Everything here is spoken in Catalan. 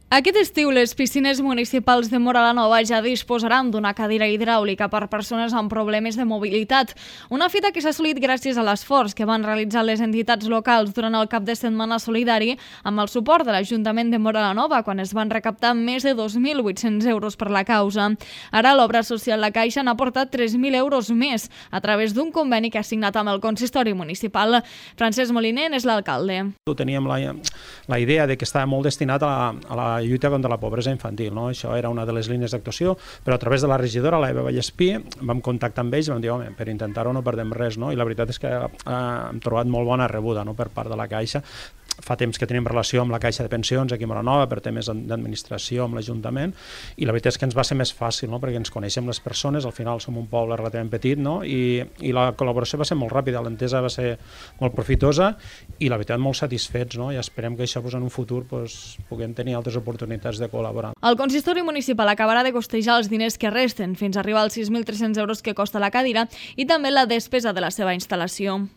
Aquest estiu, les piscines municipals de Móra la Nova ja disposaran d'una cadira hidràulica per persones amb problemes de mobilitat. Una fita que s'ha assolit gràcies a l'esforç que van realitzar les entitats locals durant el cap de setmana solidari amb el suport de l'Ajuntament de Móra la Nova, quan es van recaptar més de 2.800 euros per la causa. Ara l'obra social La Caixa n'ha aportat 3.000 euros més a través d'un conveni que ha signat amb el consistori municipal. Francesc Moliner és l'alcalde. Teníem la idea de que estava molt destinat a la lluita contra la pobresa infantil, no? Això era una de les línies d'actuació, però a través de la regidora, la Eva Vallespí, vam contactar amb ells i vam dir, home, per intentar-ho no perdem res, no? I la veritat és que hem trobat molt bona rebuda, no?, per part de la Caixa. Fa temps que tenim relació amb la Caixa de Pensions aquí a Móra la Nova per temes d'administració amb l'Ajuntament, i la veritat és que ens va ser més fàcil, no?, perquè ens coneixem les persones, al final som un poble relativament petit, no?, i la col·laboració va ser molt ràpida, l'entesa va ser molt profitosa i la veritat molt satisfets, no?, i esperem que això en un futur puguem tenir altres oportunitats de col·laborar. El consistori municipal acabarà de costejar els diners que resten fins a arribar als 6.300 euros que costa la cadira i també la despesa de la seva instal·lació.